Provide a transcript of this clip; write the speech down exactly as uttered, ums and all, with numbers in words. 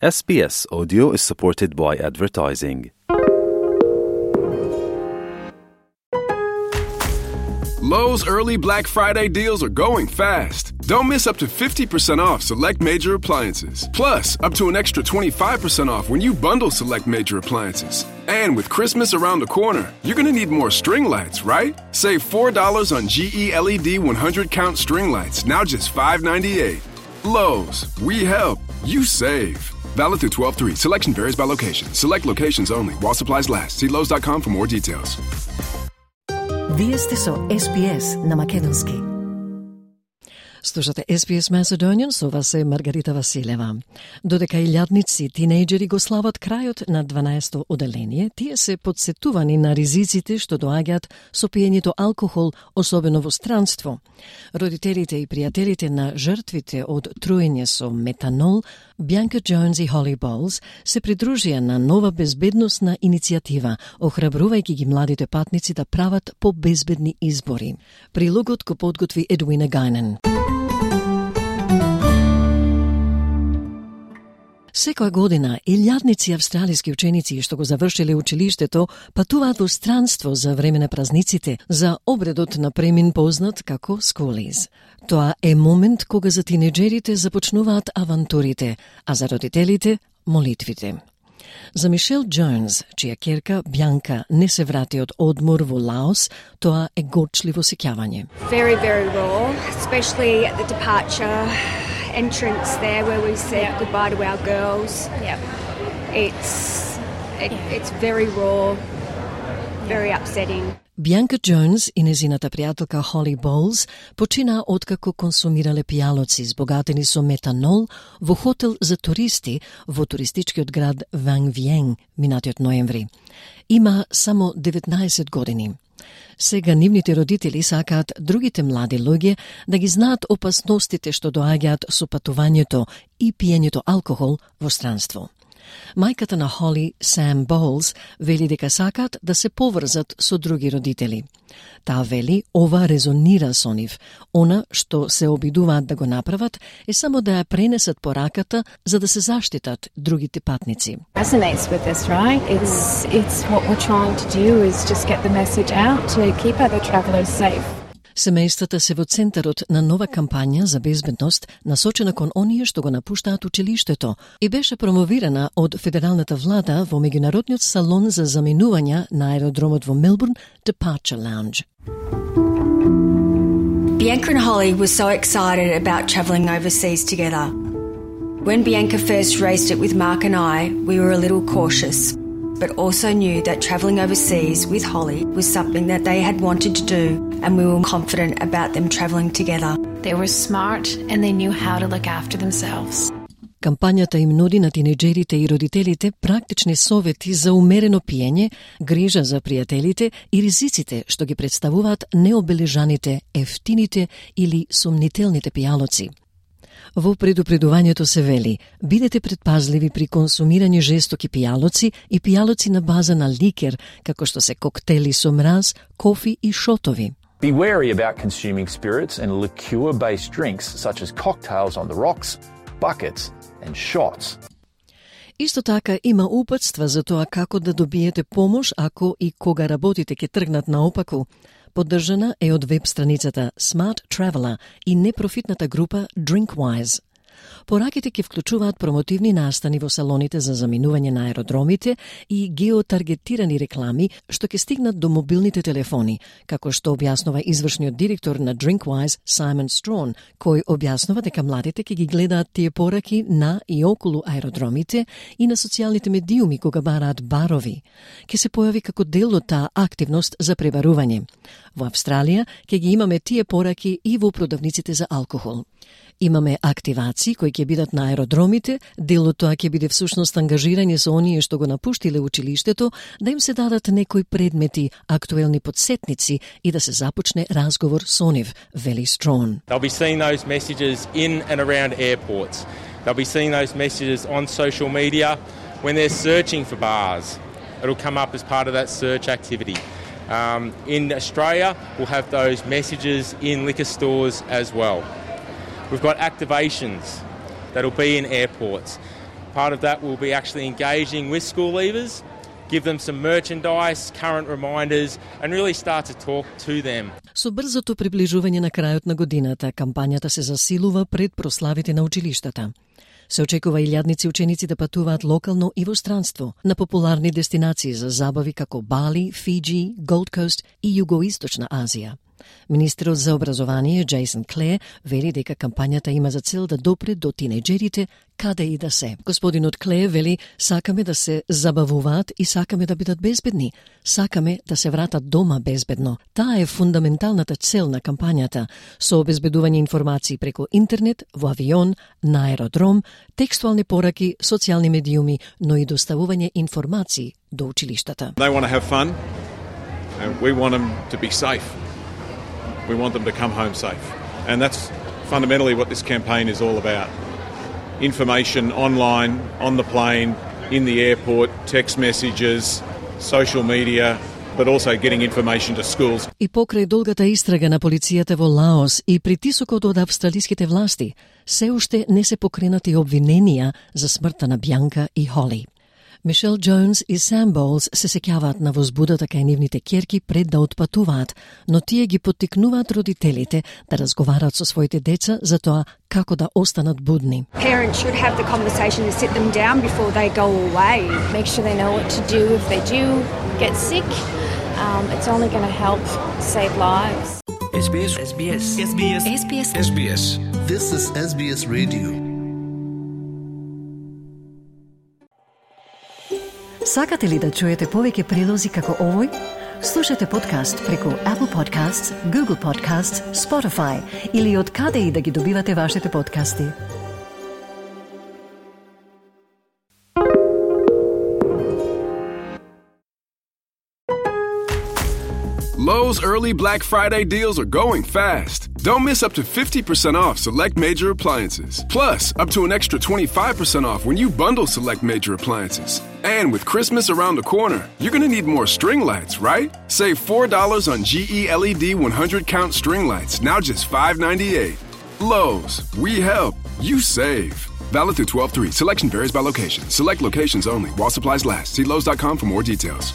S B S Audio is supported by advertising. Lowe's early Black Friday deals are going fast. Don't miss up to fifty percent off select major appliances. Plus, up to an extra twenty-five percent off when you bundle select major appliances. And with Christmas around the corner, you're going to need more string lights, right? Save four dollars on G E L E D one hundred count string lights, now just five ninety-eight. Lowe's, we help, you save. Valid through twelve three. Selection varies by location. Select locations only. While supplies last. See Lowe's dot com for more details. Вие сте со С Б С на Македонски. Слушате С Б С Macedonian, со вас е Маргарита Василева. Додека илјадници тинејџери го слават крајот на дванаесто оделение, тие се подсетувани на ризиците што доаѓаат со пиењето алкохол, особено во странство. Родителите и пријателите на жртвите од труење со метанол, Бјанка Джонс и Холи Болс, се придружија на нова безбедносна иницијатива, охрабрувајќи ги младите патници да прават побезбедни избори. Прилогот го подготви Едуина Гајнен. Секоја година, илјадници австралиски ученици што го завршиле училиштето патуваат во странство за време на празниците, за обредот на премин познат како скулиз. Тоа е момент кога за тинеџерите започнуваат авантурите, а за родителите – молитвите. За Мишел Джонс, чија ќерка Бјанка не се врати од одмор во Лаос, тоа е горчливо сеќавање. Very, very raw, especially at the departure entrance there where we said yep. goodbye to our girls. Yep. It's it, yeah. it's very raw, very upsetting. Бјанка Джонс и незината пријателка Холи Болс почина откако консумирале пијалоци збогатени со метанол во хотел за туристи во туристичкиот град Ван Виен минатиот ноември. Има само деветнаесет години. Сега нивните родители сакаат другите млади луѓе да ги знаат опасностите што доаѓаат со патувањето и пиењето алкохол во странство. Мајката на Холи, Сам Болс, вели дека сакаат да се поврзат со други родители. Таа вели ова резонира со нив. Она што се обидуваат да го направат е само да ја пренесат пораката за да се заштитат другите патници. Resonates with us, right? It's it's what we're trying to do is just get the message out to keep other travelers safe. Семејствата се во центарот на нова кампања за безбедност насочена кон оние што го напуштаат училиштето и беше промовирана од федералната влада во меѓународниот салон за заминувања на аеродромот во Мелбурн, Departure Lounge. Bianca and Holly were so excited about travelling overseas together. When Bianca first raised it with Mark and I, we were a little cautious, but also knew that travelling overseas with Holly was something that they had wanted to do, and we were confident about them travelling together. They were smart and they knew how to look after themselves. Кампањата им нуди на тинеџерите и родителите практични совети за умерено пиење, грижа за пријателите и ризиците што ги представуваат необележаните, ефтините или сомнителните пијалоци. Во предупредувањето се вели: бидете предпазливи при консумирање жестоки пијалоци и пијалоци на база на ликер, како што се коктели со мраз, кофи и шотови. Be wary about consuming spirits and liqueur-based drinks such as cocktails on the rocks, buckets and shots. Исто така има упатства за тоа како да добиете помош ако и кога работите ќе тргнат наопаку. Поддржана е од веб страницата Smart Traveller и непрофитната група Drinkwise. Пораките ќе вклучуваат промотивни настани во салоните за заминување на аеродромите и геотаргетирани реклами што ќе стигнат до мобилните телефони, како што објаснува извршниот директор на Drinkwise Simon Strawn, кој објаснува дека младите ќе ги гледаат тие пораки на и околу аеродромите и на социјалните медиуми кога бараат барови. Ќе се појави како дел од таа активност за пребарување. Во Австралија ќе ги имаме тие пораки и во продавниците за алкохол. Имаме активации кои ќе бидат на аеродромите, дел од тоа ќе биде всушност ангажирање со оние што го напуштиле училиштето, да им се дадат некои предмети, актуелни подсетници и да се започне разговор со нив, вели Страwn. They'll be seeing those messages in and around airports. They'll be seeing those messages on social media when they're searching for bars. It'll come up as part of that search activity. Um, in Australia, we'll have those messages in liquor stores as well. We've got activations that'll be in airports. Part of that will be actually engaging with school leavers, give them some merchandise, current reminders, and really start to talk to them. Со брзото приближување на крајот на годината, кампањата се засилува пред прославите на училиштата. Се очекува илјадници ученици да патуваат локално и во странство на популарни дестинации за забави како Бали, Фиджи, Голд Кост и Југоисточна Азија. Министерот за образование Джейсон Клер вели дека кампањата има за цел да допре до тинејџерите каде и да се. Господинот Клер вели: сакаме да се забавуваат и сакаме да бидат безбедни. Сакаме да се вратат дома безбедно. Таа е фундаменталната цел на кампањата, со обезбедување информации преку интернет, во авион, на аеродром, текстуални пораки, социјални медиуми, но и доставување информации до училиштата. They want to have fun, and we want them to be safe. We want them to come home safe. And that's fundamentally what this campaign is all about. Information online, on the plane, in the airport, text messages, social media, but also getting information to schools. И покрај долгата истрага на полицијата во Лаос и притисокот од австралиските власти, се уште не се покренати обвиненија за смртта на Бјанка и Холи. Мишел Джонс и Сам Боулс се сеќаваат на возбудата кај нивните ќерки пред да отпатуваат, но тие ги поттикнуваат родителите да разговараат со своите деца за тоа како да останат будни. Parents should have the conversation and sit them down before they go away. Make sure they know what to do if they do get sick. Um, it's only going to help save lives. S B S S B S S B S S B S S B S This is S B S Radio. Сакате ли да чуете повеќе прилози како овој? Слушате подкаст преку Apple Podcasts, Google Podcasts, Spotify или од каде и да ги добивате вашите подкасти. Lowe's early Black Friday deals are going fast. Don't miss up to fifty percent off select major appliances. Plus, up to an extra twenty-five percent off when you bundle select major appliances. And with Christmas around the corner, you're going to need more string lights, right? Save four dollars on G E L E D one hundred count string lights, now just five ninety-eight. Lowe's, we help, you save. Valid through twelve three. Selection varies by location. Select locations only while supplies last. See Lowe's dot com for more details.